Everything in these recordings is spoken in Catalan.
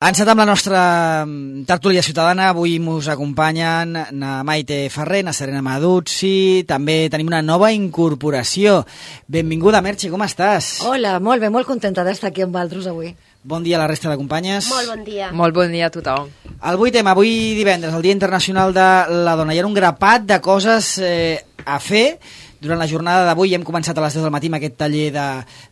Encetat amb la nostra tertúlia ciutadana, avui ens acompanyen na Maite Ferrer, na Serena Maduzzi, també tenim una nova incorporació. Benvinguda, Merche, com estàs? Hola, molt bé, molt contenta d'estar aquí amb vosaltres avui. Bon dia a la resta de companyes. Molt bon dia. Molt bon dia a tothom. El 8M, avui divendres, el Dia Internacional de la Dona. Hi ha un grapat de coses a fer. Durant la jornada d'avui hem començat a les 10 del matí amb aquest taller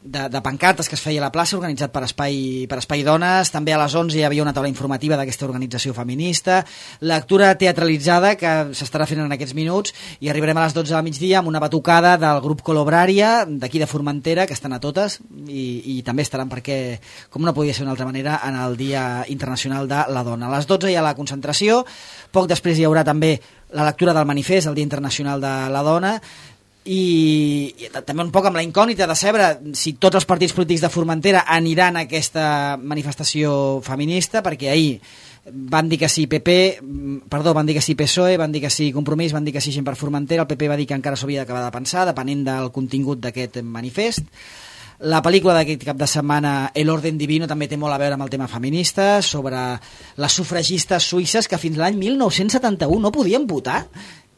de pancartes que es feia a la plaça, organitzat per Espai Dones. També a les 11 hi havia una taula informativa d'aquesta organització feminista, lectura teatralitzada que s'estarà fent en aquests minuts, i arribarem a les 12 del migdia amb una batucada del grup Colobrària d'aquí de Formentera, que estan a totes i també estaran, perquè com no podia ser d'una altra manera, en el Dia Internacional de la Dona. A les 12 hi ha la concentració, poc després hi haurà també la lectura del manifest, el Dia Internacional de la Dona, i també un poc amb la incògnita de saber si tots els partits polítics de Formentera aniran a aquesta manifestació feminista, perquè ahir van dir que sí van dir que sí PSOE, van dir que sí Compromís, van dir que sí Gent per Formentera. El PP va dir que encara s'ho havia d'acabar de pensar, depenent del contingut d'aquest manifest. La pel·lícula d'aquest cap de setmana, El orden divino, també té molt a veure amb el tema feminista, sobre les sufragistes suïsses que fins l'any 1971 no podien votar.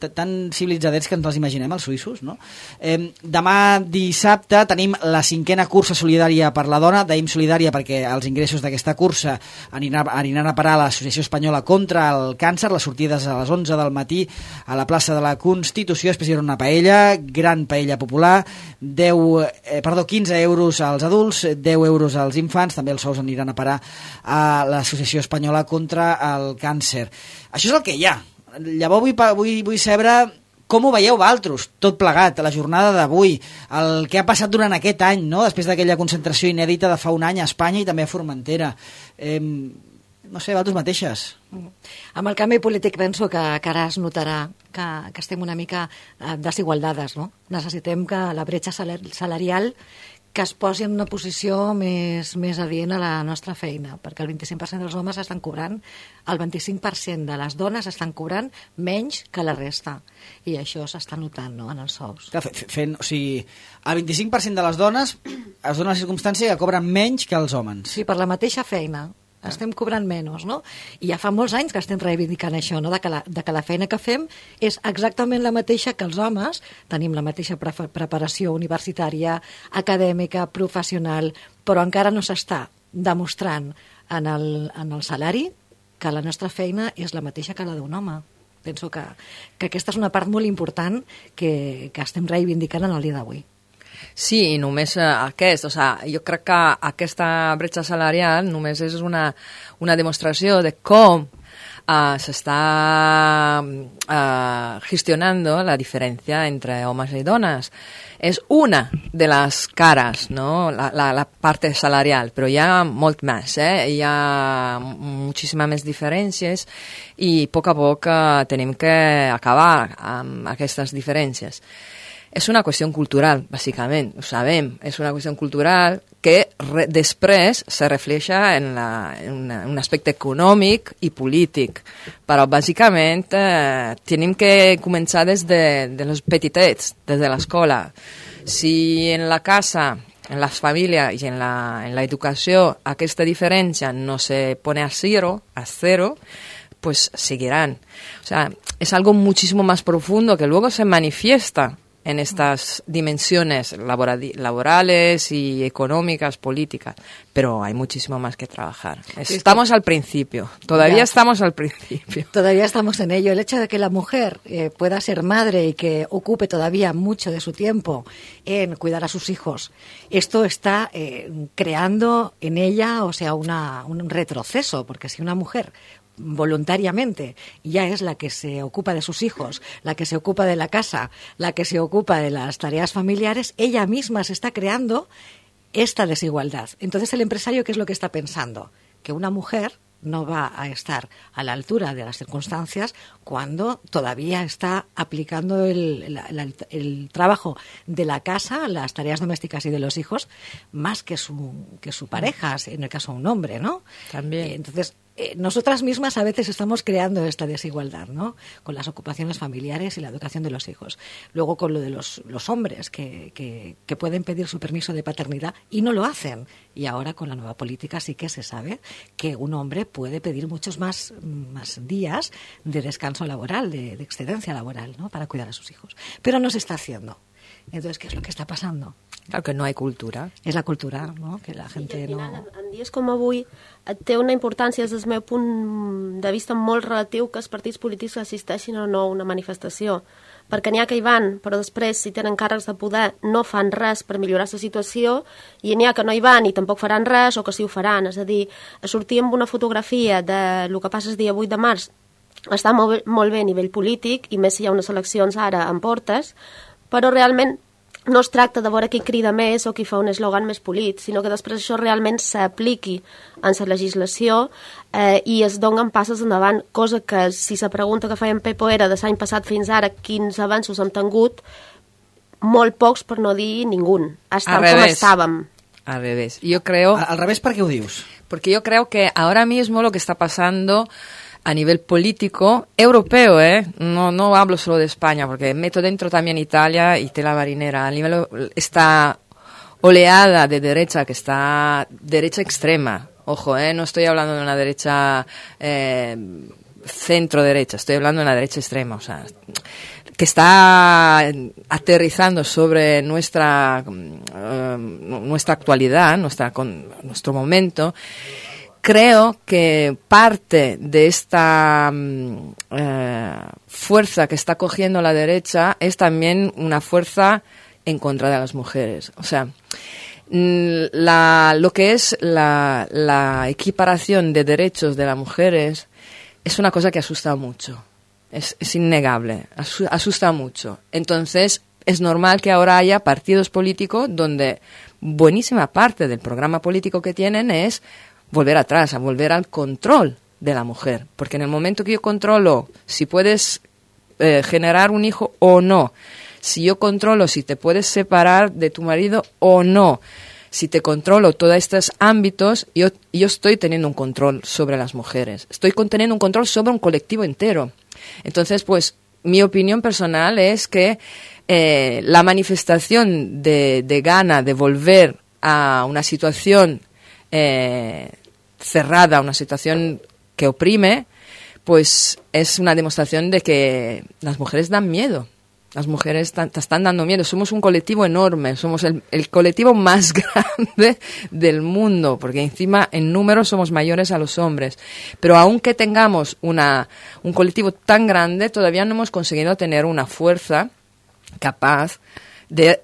Tan civilitzadets que ens els imaginem, els suïssos, no? Demà dissabte tenim la 5a cursa solidària per la dona, d'AIM Solidària, perquè els ingressos d'aquesta cursa aniran a parar a l'Associació Espanyola contra el Càncer. Les sortides a les 11 del matí a la plaça de la Constitució. Després hi haurà una paella, gran paella popular, 15 euros als adults, 10 euros als infants. També els sous aniran a parar a l'Associació Espanyola contra el Càncer. Això és el que hi ha. Llavors vull saber com ho veieu vosaltres, tot plegat, la jornada d'avui, el que ha passat durant aquest any, no? Després d'aquella concentració inèdita de fa un any a Espanya i també a Formentera. No sé, vosaltres mateixes. Amb el canvi polític penso que ara es notarà que estem una mica desigualdades, no? Necessitem que la bretxa salarial que es posi en una posició més adient a la nostra feina, perquè el 25% dels homes estan cobrant, el 25% de les dones estan cobrant menys que la resta, i això s'està notant, no?, en els sous. Clar, o sigui, el 25% de les dones es dona la circumstància que cobren menys que els homes. Sí, per la mateixa feina. Estem cobrant menys, no? I ja fa molts anys que estem reivindicant això, no? De que la feina que fem és exactament la mateixa que els homes, tenim la mateixa preparació universitària, acadèmica, professional, però encara no s'està demostrant en el salari que la nostra feina és la mateixa que la d'un home. Penso que aquesta és una part molt important que estem reivindicant en el dia d'avui. Sí, i només aquest, jo crec que aquesta bretxa salarial només és una demostració de com se está gestionando la diferencia entre hombres y donas. Es una de las caras, ¿no? La parte salarial, pero hi ha molt més, hi ha moltíssimes més diferències i a poc tenim que acabar amb aquestes diferències. És una qüestió cultural, bàsicament, ho sabem. És una qüestió cultural que després se refleja en un aspecte econòmic i polític. Però, bàsicament, tenim que començar des de los petitets, des de l'escola. Si en la casa, en les famílies i en la educació aquesta diferència no se pone a cero, pues seguirán. O sea, es algo muchísimo más profundo que luego se manifiesta en estas dimensiones laborales y económicas, políticas, pero hay muchísimo más que trabajar. Estamos al principio, todavía estamos al principio. Todavía estamos en ello. El hecho de que la mujer pueda ser madre y que ocupe todavía mucho de su tiempo en cuidar a sus hijos, esto está creando en ella, o sea, un retroceso, porque si una mujer voluntariamente ya es la que se ocupa de sus hijos, la que se ocupa de la casa, la que se ocupa de las tareas familiares, ella misma se está creando esta desigualdad. Entonces el empresario, ¿qué es lo que está pensando? Que una mujer no va a estar a la altura de las circunstancias cuando todavía está aplicando el trabajo de la casa, las tareas domésticas y de los hijos, más que su pareja, en el caso de un hombre, ¿no? También. Entonces, nosotras mismas a veces estamos creando esta desigualdad, ¿no? Con las ocupaciones familiares y la educación de los hijos. Luego con lo de los hombres que pueden pedir su permiso de paternidad y no lo hacen. Y ahora con la nueva política sí que se sabe que un hombre puede pedir muchos más días de descanso laboral, de excedencia laboral, ¿no? Para cuidar a sus hijos. Pero no se está haciendo. Entonces, ¿qué es lo que està passant? Claro que no hay cultura. És la cultura, no? Que la gent I, no... En dies com avui té una importància des del meu punt de vista molt relatiu que els partits polítics assisteixin o no a una manifestació. Perquè n'hi ha que hi van, però després, si tenen càrrecs de poder, no fan res per millorar la situació, i n'hi ha que no hi van i tampoc faran res, o que sí ho faran. És a dir, sortir amb una fotografia del que passa el dia 8 de març està molt bé a nivell polític, i més si hi ha unes eleccions ara en portes, però realment no es tracta de veure qui crida més o qui fa un eslògan més polit, sinó que després això realment s'apliqui en la legislació i es donen passes endavant, cosa que si se pregunta que feien Pepo era de l'any passat fins ara quins avanços hem tingut, molt pocs per no dir ningú. Estem com estàvem. Al revés. Yo creo... Al revés, ¿por qué lo dices? Porque yo creo que ahora mismo lo que está pasando a nivel político europeo, no hablo solo de España, porque meto dentro también Italia y tela marinera. A nivel esta oleada de derecha, que está derecha extrema, ojo, no estoy hablando de una derecha centro-derecha, estoy hablando de una derecha extrema, o sea, que está aterrizando sobre nuestra actualidad, nuestro momento. Creo que parte de esta fuerza que está cogiendo la derecha es también una fuerza en contra de las mujeres. O sea, lo que es la equiparación de derechos de las mujeres es una cosa que asusta mucho. Es innegable, asusta mucho. Entonces, es normal que ahora haya partidos políticos donde buenísima parte del programa político que tienen es volver atrás, a volver al control de la mujer. Porque en el momento que yo controlo si puedes generar un hijo o no, si yo controlo si te puedes separar de tu marido o no, si te controlo todos estos ámbitos, yo estoy teniendo un control sobre las mujeres. Estoy teniendo un control sobre un colectivo entero. Entonces, pues, mi opinión personal es que la manifestación de gana de volver a una situación cerrada, una situación que oprime, pues es una demostración de que las mujeres dan miedo. Las mujeres te están dando miedo. Somos un colectivo enorme, somos el colectivo más grande del mundo, porque encima en número somos mayores a los hombres. Pero aunque tengamos un colectivo tan grande, todavía no hemos conseguido tener una fuerza capaz de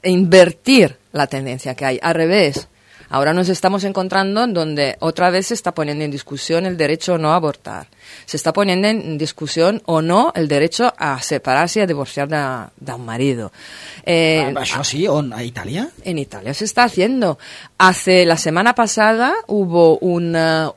invertir la tendencia que hay. Al revés, ahora nos estamos encontrando donde otra vez se está poniendo en discusión el derecho o no a abortar. Se está poniendo en discusión o no el derecho a separarse y a divorciar de un marido. ¿Això sí? ¿On? ¿A Italia? En Italia se está haciendo. La semana pasada hubo una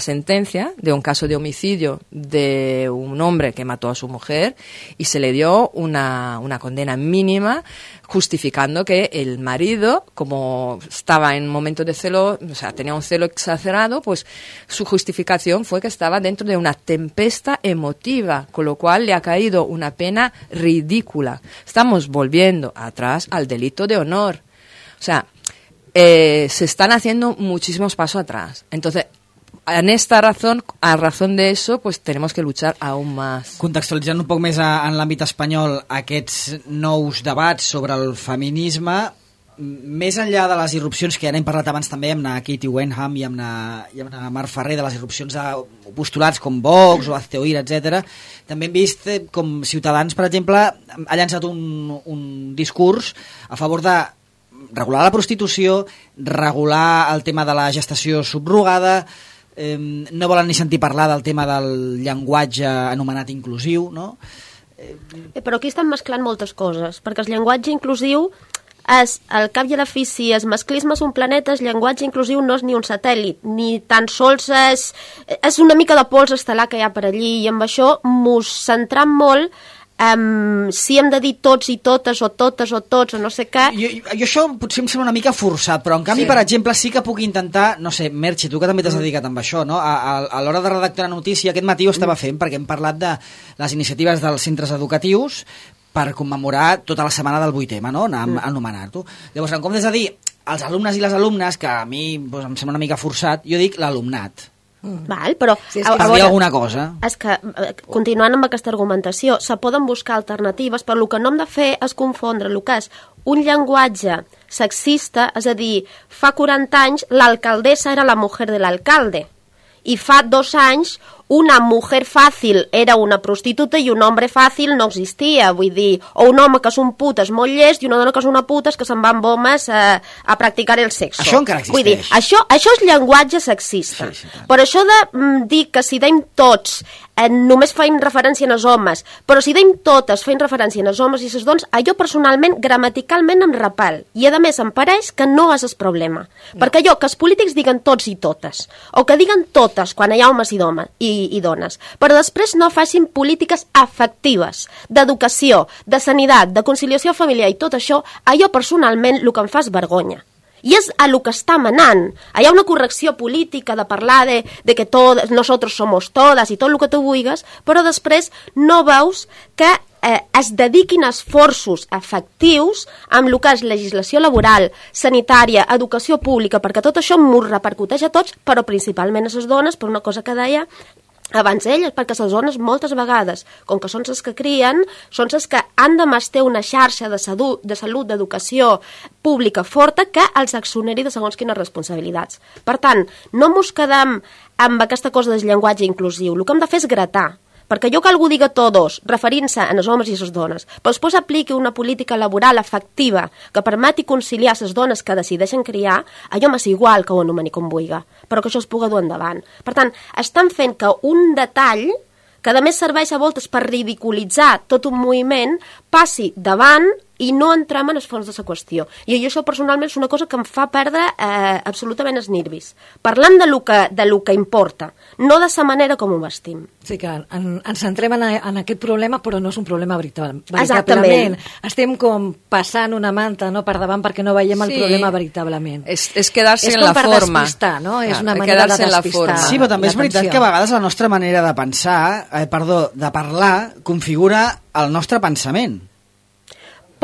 sentencia de un caso de homicidio de un hombre que mató a su mujer y se le dio una condena mínima justificando que el marido, como estaba en un momento de celo, o sea, tenía un celo exagerado, pues su justificación fue que estaba dentro de una tempesta emotiva, con lo cual le ha caído una pena ridícula. Estamos volviendo atrás al delito de honor. O sea, se están haciendo muchísimos pasos atrás. Entonces, a razón de eso, pues tenemos que luchar aún más. Contextualitzant un poc més en l'àmbit espanyol aquests nous debats sobre el feminisme, més enllà de les irrupcions que ja n'hem parlat abans també amb la Katie Wenham i amb la Mar Ferrer, de les irrupcions de postulats com Vox o Hazte Oír, etc., també hem vist com Ciutadans, per exemple, ha llançat un discurs a favor de regular la prostitució, regular el tema de la gestació subrogada, no volen ni sentir parlar del tema del llenguatge anomenat inclusiu, no? Però aquí estan mesclant moltes coses, perquè el llenguatge inclusiu és, al cap i a la fi, si el masclisme és un planeta, el llenguatge inclusiu no és ni un satèl·lit, ni tan sols és una mica de pols estel·lar que hi ha per allí, i amb això mos centram molt si hem de dir tots i totes o tots o no sé què... Jo això potser em sembla una mica forçat, però en canvi, per exemple, sí que puc intentar, no sé, Merche, tu que també t'has dedicat amb això, no? A l'hora de redactar una notícia, aquest matí ho estava fent, perquè hem parlat de les iniciatives dels centres educatius per commemorar tota la setmana del 8M, no? Anomenar-ho. Llavors, en comptes de dir els alumnes i les alumnes, que a mi doncs, em sembla una mica forçat, jo dic l'alumnat. Val, però és que per dir alguna cosa. És que, continuant amb aquesta argumentació, se poden buscar alternatives, però el que no hem de fer és confondre el que és un llenguatge sexista, és a dir, fa 40 anys l'alcaldessa era la mujer de l'alcalde, i fa 2 anys una mujer fàcil era una prostituta i un home fàcil no existia, vull dir, o un home que és un put és molt llest i una dona que és una puta és que se'n va amb homes a practicar el sexo. Això encara existeix. Vull dir, això és llenguatge sexista. Sí, per això de dir que si deim tots només feim referència als homes, però si deim totes feim referència als homes i les dones, allò personalment, gramaticalment em repel. I a més em pareix que no és el problema. No. Perquè allò que els polítics diguen tots i totes, o que diguen totes quan hi ha homes i dones, però després no facin polítiques efectives d'educació, de sanitat, de conciliació familiar i tot això, allò personalment el que em fa és vergonya. I és a lo que està manant. Hi ha una correcció política de parlar de que nosotros somos todas i tot el que tu vulguis, però després no veus que es dediquin esforços efectius amb el que és legislació laboral, sanitària, educació pública, perquè tot això m'ho repercuteix a tots, però principalment a les dones, per una cosa que deia abans elles, perquè les dones moltes vegades, com que són les que crien, són les que han de mastar una xarxa de salut, d'educació pública forta que els exoneri de segons quines responsabilitats. Per tant, no mos quedem amb aquesta cosa del llenguatge inclusiu. El que hem de fer és gratar, perquè jo que algú diga todos, referint-se a les homes i les dones, però després apliqui una política laboral efectiva que permeti conciliar les dones que decideixen criar, allò m'és igual que ho anomeni com vulgui, però que això es pugui dur endavant. Per tant, estan fent que un detall, que a més serveix a voltes per ridiculitzar tot un moviment, passi davant i no entrem en els fons de la qüestió. I això personalment és una cosa que em fa perdre absolutament els nervis. Parlant de lo que importa, no de la manera com ho vestim. Sí, que ens centrem en aquest problema, però no és un problema veritablement. Exactament. Estem com passant una manta per davant perquè no veiem el problema veritablement. És quedar-se en la forma. És com per despistar, no? És una manera de despistar. Sí, però també és veritat que a vegades la nostra manera de pensar, de parlar, configura el nostre pensament.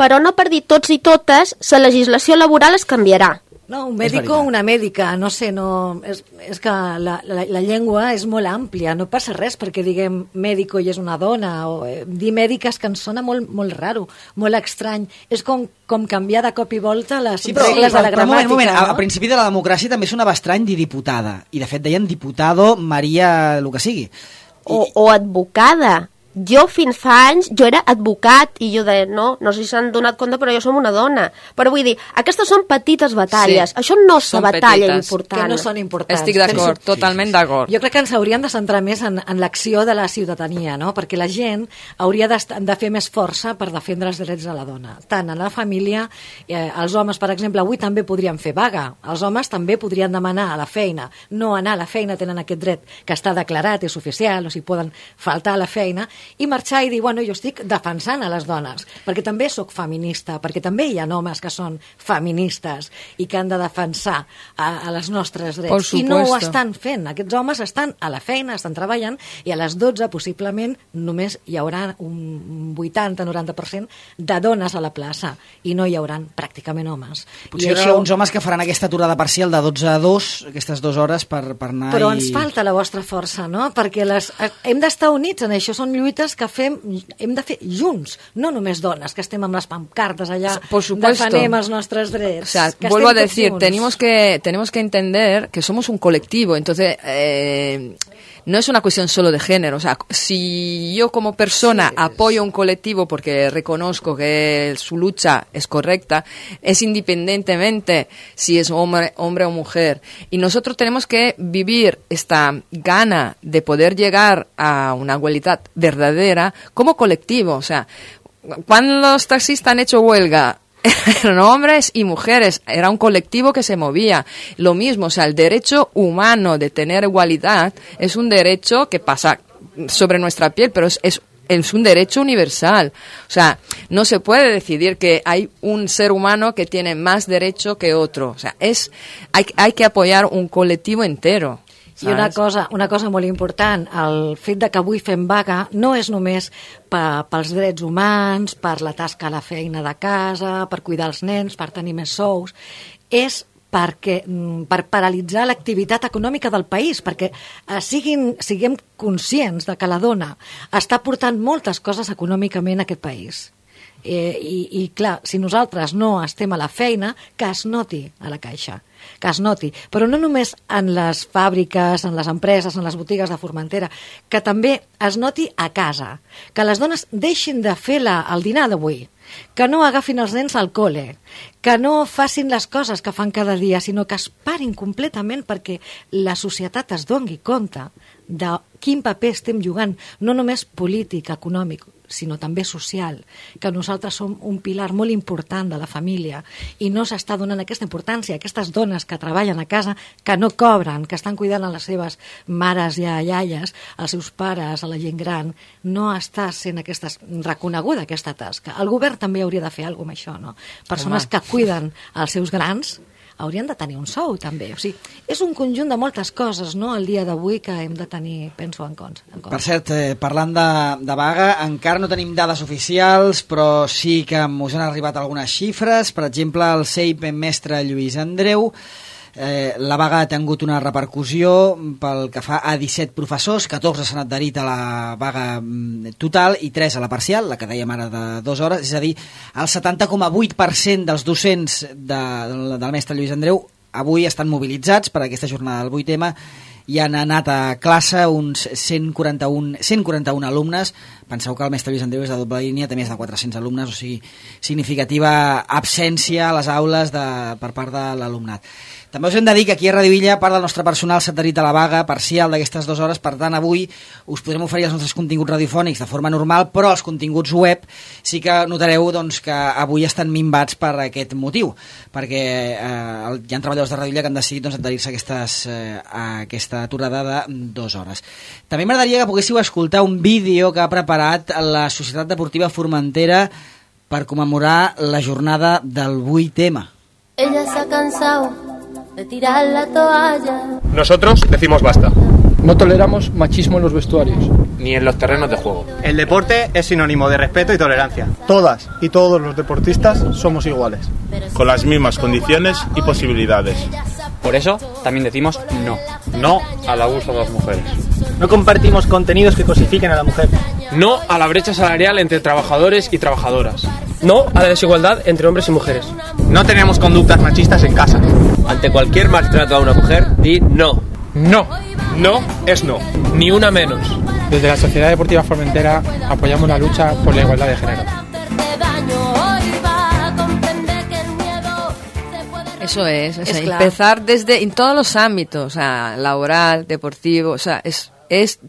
Però no per dir tots i totes, la legislació laboral es canviarà. No, un mèdico o una mèdica, no sé, és que la llengua és molt àmplia, no passa res perquè diguem mèdico i és una dona, o dir mèdica és que ens sona molt, molt raro, molt estrany. És com canviar de cop i volta les regles de la gramàtica. Un moment, al principi de la democràcia també sonava estrany dir diputada, i de fet deien diputado Maria, el que sigui. O advocada. Jo fins fa anys, jo era advocat i jo deia, no sé si s'han donat compte però jo som una dona, però vull dir aquestes són petites batalles, això no és una batalla important. Que no són importants. Estic d'acord, totalment d'acord. Jo crec que ens hauríem de centrar més en l'acció de la ciutadania, no? Perquè la gent hauria de fer més força per defendre els drets de la dona, tant en la família, els homes, per exemple, avui també podrien fer vaga, els homes també podrien demanar a la feina, no anar a la feina, tenen aquest dret que està declarat, és oficial, o sigui, poden faltar a la feina, i marxar i dir, bueno, jo estic defensant a les dones, perquè també sóc feminista, perquè també hi ha homes que són feministes i que han de defensar a les nostres drets. I no ho estan fent. Aquests homes estan a la feina, estan treballant, i a les 12 possiblement només hi haurà un 80-90% de dones a la plaça, i no hi haurà pràcticament homes. Potser hi haurà uns homes que faran aquesta aturada parcial de 12 a 2, aquestes 2 hores per anar... Però ens falta la vostra força, no? Perquè hem d'estar units en això, són lluites que hem de fer junts, no només dones que estem amb les pancartes allà defendem els nostres drets. O sea, vuelvo a decir, tenemos que entender que somos un colectivo, entonces no es una cuestión solo de género. O sea, si yo como persona apoyo un colectivo porque reconozco que su lucha es correcta, es independientemente si es hombre o mujer. Y nosotros tenemos que vivir esta gana de poder llegar a una igualdad verdadera como colectivo. O sea, cuando los taxistas han hecho huelga, eran hombres y mujeres, era un colectivo que se movía. Lo mismo, o sea, el derecho humano de tener igualdad es un derecho que pasa sobre nuestra piel, pero es es un derecho universal. O sea, no se puede decidir que hay un ser humano que tiene más derecho que otro. O sea, hay que apoyar un colectivo entero. I una cosa molt important, el fet de que avui fem vaga no és només pels drets humans, per la tasca a la feina de casa, per cuidar els nens, per tenir més sous, és per paralitzar l'activitat econòmica del país, perquè siguem conscients de que la dona està portant moltes coses econòmicament a aquest país. I clar, si nosaltres no estem a la feina, que es noti a la caixa, que es noti, però no només en les fàbriques, en les empreses, en les botigues de Formentera, que també es noti a casa, que les dones deixin de fer el dinar d'avui, que no agafin els nens al col·le, que no facin les coses que fan cada dia, sinó que es parin completament perquè la societat es doni compte de quin paper estem jugant, no només polític, econòmic, sinó també social, que nosaltres som un pilar molt important de la família i no s'està donant aquesta importància a aquestes dones que treballen a casa, que no cobren, que estan cuidant a les seves mares i a iaies, als seus pares, a la gent gran, no està sent reconeguda aquesta tasca. El govern també hauria de fer alguna cosa amb això, no? Persones que cuiden els seus grans haurien de tenir un sou, també. O sigui, és un conjunt de moltes coses, no?, el dia d'avui que hem de tenir, penso, en compte. Per cert, parlant de vaga, encara no tenim dades oficials, però sí que us han arribat algunes xifres. Per exemple, el CEIP mestre Lluís Andreu, la vaga ha tingut una repercussió pel que fa a 17 professors, 14 s'han adherit a la vaga total i 3 a la parcial, la que dèiem ara de 2 hores, és a dir, el 70,8% dels docents del mestre Lluís Andreu avui estan mobilitzats per aquesta jornada del 8M i han anat a classe uns 141 alumnes. Penseu que el mestre Lluís Andreu és de doble línia, té més de 400 alumnes, o sigui, significativa absència a les aules per part de l'alumnat. També us hem de dir que aquí a Radio Illa part del nostre personal s'ha adherit a la vaga parcial d'aquestes 2 hores, per tant avui us podrem oferir els nostres continguts radiofònics de forma normal, però els continguts web sí que notareu doncs, que avui estan minvats per aquest motiu, perquè hi ha treballadors de Radio Illa que han decidit doncs, adherir-se a aquesta aturada de 2 hores. També m'agradaria que poguéssiu escoltar un vídeo que ha preparat la Societat Deportiva Formentera per commemorar la jornada del 8M. Ella se ha cansado de tirar la toalla. Nosotros decimos basta. No toleramos machismo en los vestuarios. Ni en los terrenos de juego. El deporte es sinónimo de respeto y tolerancia. Todas y todos los deportistas somos iguales. Con las mismas condiciones y posibilidades. Por eso también decimos no. No al abuso de las mujeres. No compartimos contenidos que cosifiquen a la mujer. No a la brecha salarial entre trabajadores y trabajadoras. No a la desigualdad entre hombres y mujeres. No tenemos conductas machistas en casa. Ante cualquier maltrato a una mujer, di no. No. No es no. Ni una menos. Desde la Sociedad Deportiva Formentera apoyamos la lucha por la igualdad de género. Eso es empezar desde en todos los ámbitos, o sea, laboral, deportivo, o sea,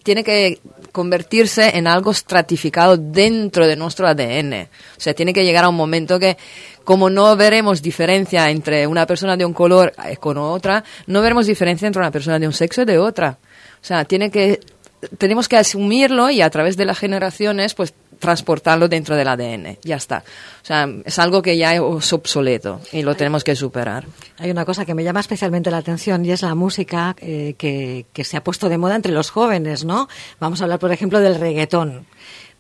tiene que convertirse en algo estratificado dentro de nuestro ADN. O sea, tiene que llegar a un momento que, como no veremos diferencia entre una persona de un color con otra, no veremos diferencia entre una persona de un sexo y de otra. O sea, tenemos que asumirlo y a través de las generaciones, pues, transportarlo dentro del ADN. Ya está. O sea, es algo que ya es obsoleto y lo tenemos que superar. Hay una cosa que me llama especialmente la atención y es la música que se ha puesto de moda entre los jóvenes, ¿no? Vamos a hablar, por ejemplo, del reggaetón.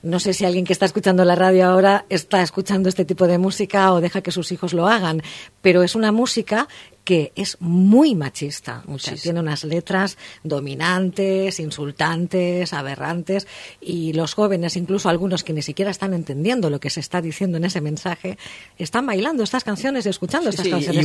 No sé si alguien que está escuchando la radio ahora está escuchando este tipo de música o deja que sus hijos lo hagan, pero es una música que es muy machista. O sea, tiene unas letras dominantes, insultantes, aberrantes, y los jóvenes, incluso algunos que ni siquiera están entendiendo lo que se está diciendo en ese mensaje, están bailando estas canciones y escuchando estas canciones.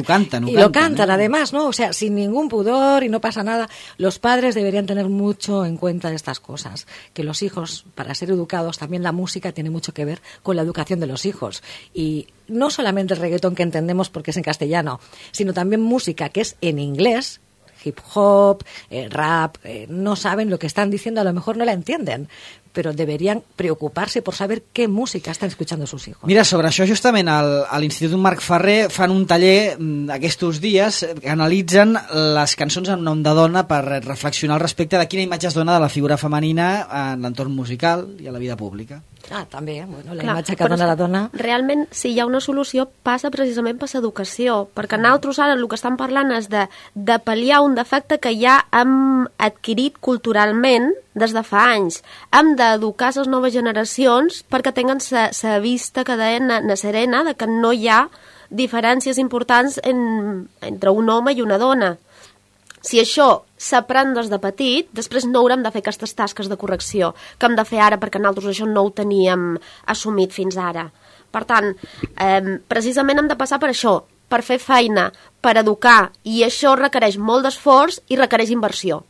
Y lo cantan, además, ¿no? O sea, sin ningún pudor y no pasa nada. Los padres deberían tener mucho en cuenta estas cosas, que los hijos, para ser educados, también la música tiene mucho que ver con la educación de los hijos. Y no solamente el reggaetón que entendemos porque es en castellano, sino también música que es en inglés, hip hop, rap, no saben lo que están diciendo, a lo mejor no la entienden, pero deberían preocuparse por saber qué música están escuchando sus hijos. Mira, sobre això justament a l'Institut Marc Ferrer fan un taller aquests dies que analitzen les cançons en nom de dona per reflexionar al respecte de quina imatge es dona de la figura femenina en l'entorn musical i a la vida pública. També, bueno, la imatge que dona la dona... Realment, si hi ha una solució, passa precisament per l'educació, perquè nosaltres ara el que estan parlant és de pal·liar un defecte que ja hem adquirit culturalment des de fa anys. Hem d'educar les noves generacions perquè tinguen la vista que deien na serena de que no hi ha diferències importants entre un home i una dona. Si això s'aprèn des de petit, després no haurem de fer aquestes tasques de correcció que hem de fer ara perquè nosaltres això no ho teníem assumit fins ara. Per tant, precisament hem de passar per això, per fer feina, per educar, i això requereix molt d'esforç i requereix inversió.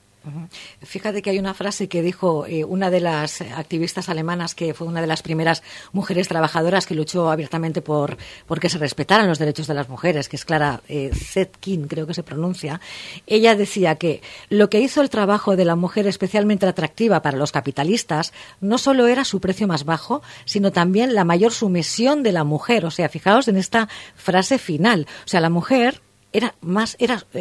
Fíjate que hay una frase que dijo una de las activistas alemanas, que fue una de las primeras mujeres trabajadoras que luchó abiertamente por que se respetaran los derechos de las mujeres, que es Clara Zetkin, creo que se pronuncia. Ella decía que lo que hizo el trabajo de la mujer especialmente atractiva para los capitalistas no solo era su precio más bajo, sino también la mayor sumisión de la mujer. O sea, fijaos en esta frase final. O sea, la mujer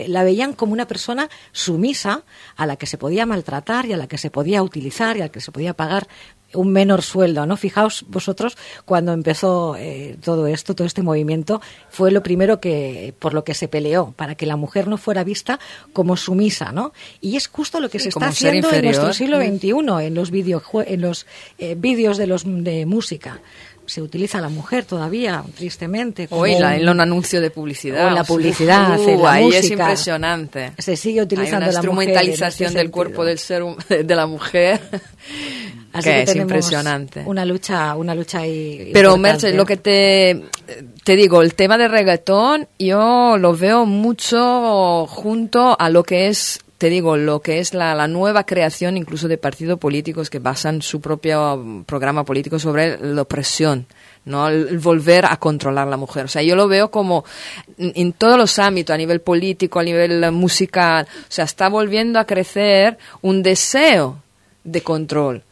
la veían como una persona sumisa a la que se podía maltratar y a la que se podía utilizar y a la que se podía pagar un menor sueldo, ¿no? Fijaos vosotros, cuando empezó todo esto, todo este movimiento, fue lo primero por lo que se peleó, para que la mujer no fuera vista como sumisa, ¿no? Y es justo lo que se está haciendo en nuestro siglo XXI, en los vídeos de música. Se utiliza a la mujer todavía, tristemente. Como en un anuncio de publicidad. O en la publicidad, en la ahí música. Es impresionante. Se sigue utilizando la mujer. Hay una instrumentalización del cuerpo de la mujer. Así que es impresionante. Una lucha ahí. Pero Merche, lo que te digo, el tema del reggaetón, yo lo veo mucho junto a lo que es, te digo, lo que es la nueva creación incluso de partidos políticos que basan su propio programa político sobre la opresión, ¿no? El volver a controlar a la mujer. O sea, yo lo veo como en todos los ámbitos, a nivel político, a nivel musical. O sea, está volviendo a crecer un deseo de control.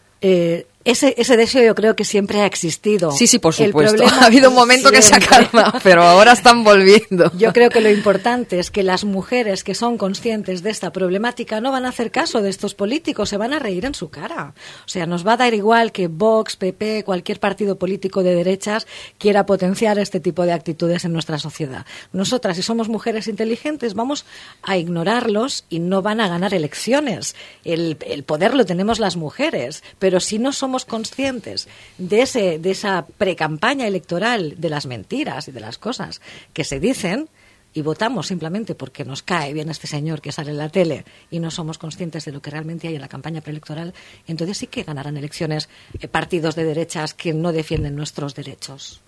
Ese deseo yo creo que siempre ha existido. Sí, por supuesto. Ha habido un momento que se ha calmado, pero ahora están volviendo. Yo creo que lo importante es que las mujeres que son conscientes de esta problemática no van a hacer caso de estos políticos, se van a reír en su cara. O sea, nos va a dar igual que Vox, PP, cualquier partido político de derechas quiera potenciar este tipo de actitudes en nuestra sociedad. Nosotras, si somos mujeres inteligentes, vamos a ignorarlos y no van a ganar elecciones. El poder lo tenemos las mujeres, pero si no somos conscientes de esa precampaña electoral, de las mentiras y de las cosas que se dicen, y votamos simplemente porque nos cae bien este señor que sale en la tele y no somos conscientes de lo que realmente hay en la campaña preelectoral, entonces sí que ganarán elecciones partidos de derechas que no defienden nuestros derechos.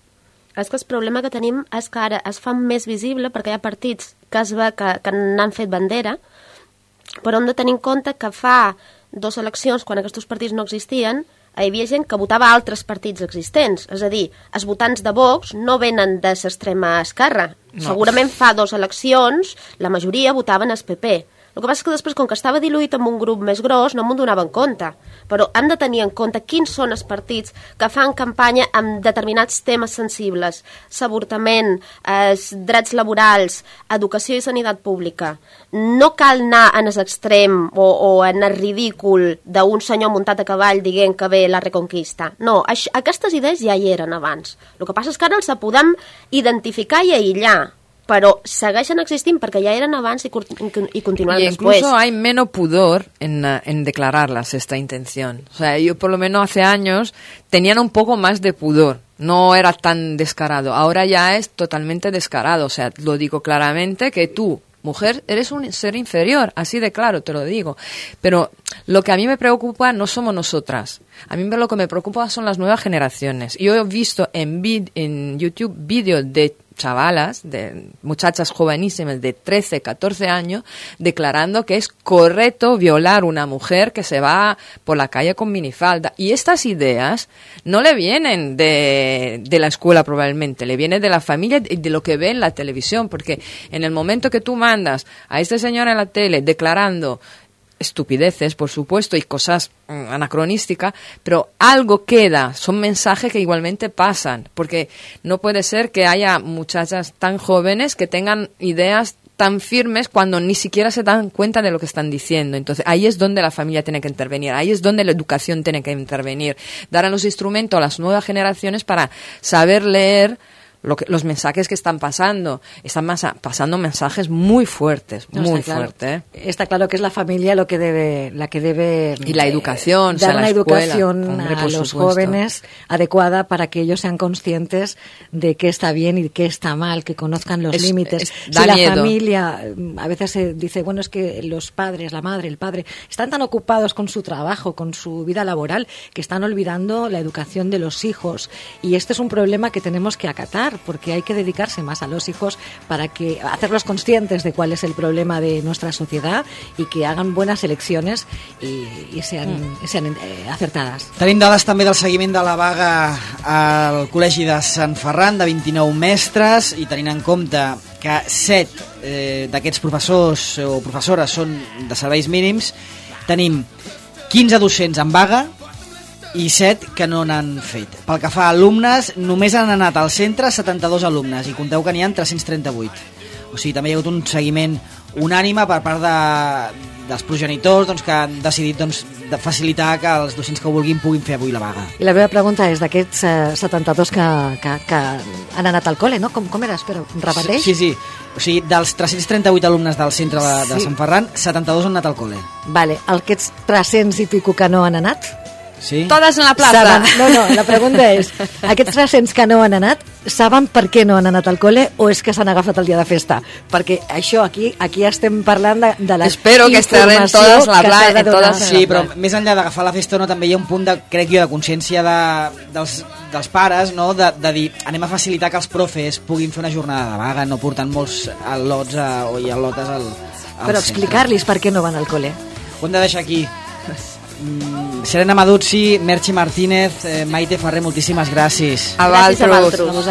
És que el problema que tenim és que ara es fa més visible perquè hi ha partits que es ve que n'han fet bandera, però hem de tenir en compte que fa 2 eleccions, quan aquests partits no existien, hi havia gent que votava altres partits existents. És a dir, els votants de Vox no venen de l'extrema esquerra. No. Segurament fa 2 eleccions la majoria votaven el PP. El que passa és que després, com que estava diluït amb un grup més gros, no m'ho donaven compte. Però hem de tenir en compte quins són els partits que fan campanya amb determinats temes sensibles. L'avortament, els drets laborals, educació i sanitat pública. No cal anar en l'extrem o en el ridícul d'un senyor muntat a cavall dient que ve la Reconquista. No, aquestes idees ja hi eren abans. El que passa és que ara els podem identificar i aïllar, pero segueixen existint perquè ja eren abans y continúan después. Incluso hay menos pudor en declararlas esta intención. O sea, yo por lo menos hace años tenían un poco más de pudor. No era tan descarado. Ahora ya es totalmente descarado. O sea, lo digo claramente que tú, mujer, eres un ser inferior, así de claro te lo digo. Pero lo que a mí me preocupa no somos nosotras. A mí lo que me preocupa son las nuevas generaciones. Yo he visto en YouTube vídeos de chavalas, de muchachas jovenísimas de 13, 14 años, declarando que es correcto violar una mujer que se va por la calle con minifalda. Y estas ideas no le vienen de la escuela probablemente, le vienen de la familia y de lo que ve en la televisión, porque en el momento que tú mandas a este señor en la tele declarando estupideces, por supuesto, y cosas anacronísticas, pero algo queda, son mensajes que igualmente pasan, porque no puede ser que haya muchachas tan jóvenes que tengan ideas tan firmes cuando ni siquiera se dan cuenta de lo que están diciendo. Entonces, ahí es donde la familia tiene que intervenir, ahí es donde la educación tiene que intervenir, dar a los instrumentos a las nuevas generaciones para saber leer los mensajes que están pasando. Están pasando mensajes muy fuertes, muy fuertes. Está claro que es la familia la que debe y la educación, dar la educación escuela, a los jóvenes adecuada para que ellos sean conscientes de qué está bien y qué está mal, que conozcan los límites. Da si miedo. La familia a veces se dice, bueno, es que los padres, la madre, el padre, están tan ocupados con su trabajo, con su vida laboral, que están olvidando la educación de los hijos. Y este es un problema que tenemos que acatar, porque hay que dedicarse más a los hijos para que hacerlos conscientes de cuál es el problema de nuestra sociedad y que hagan buenas elecciones y sean acertadas. Tenim dades també del seguiment de la vaga al Col·legi de Sant Ferran, de 29 mestres, i tenint en compte que 7 d'aquests professors o professores són de serveis mínims, tenim 15 docents en vaga i 7 que no n'han fet. Pel que fa a alumnes, només han anat al centre 72 alumnes i compteu que n'hi ha 338. O sigui, també hi ha hagut un seguiment unànime per part dels progenitors, doncs, que han decidit, doncs, de facilitar que els docents que ho vulguin puguin fer avui la vaga. I la meva pregunta és d'aquests 72 que han anat al col·le, no? Com era? Espera, repeteix? Sí. O sigui, dels 338 alumnes del centre de Sant Ferran, 72 han anat al col·le. Vale, aquests 300 i pico que no han anat? Sí? Totes en la plaça. No, la pregunta és, aquests 300 que no han anat, saben per què no han anat al col·le o és que s'han agafat el dia de festa? Perquè això, aquí estem parlant de la Espero que estén totes la plaça, totes. Sí, però més enllà d'agafar la festa o no, també hi ha un punt de, crec jo, de consciència dels pares, no? de dir, anem a facilitar que els profes puguin fer una jornada de vaga, no portant molts al·lots i al·lotes al Però explicar-los per què no van al col·le. Ho hem de deixar aquí. Serena Maduzzi, Merchi Martínez, Maite Ferrer, moltíssimes gràcies. A vosaltres.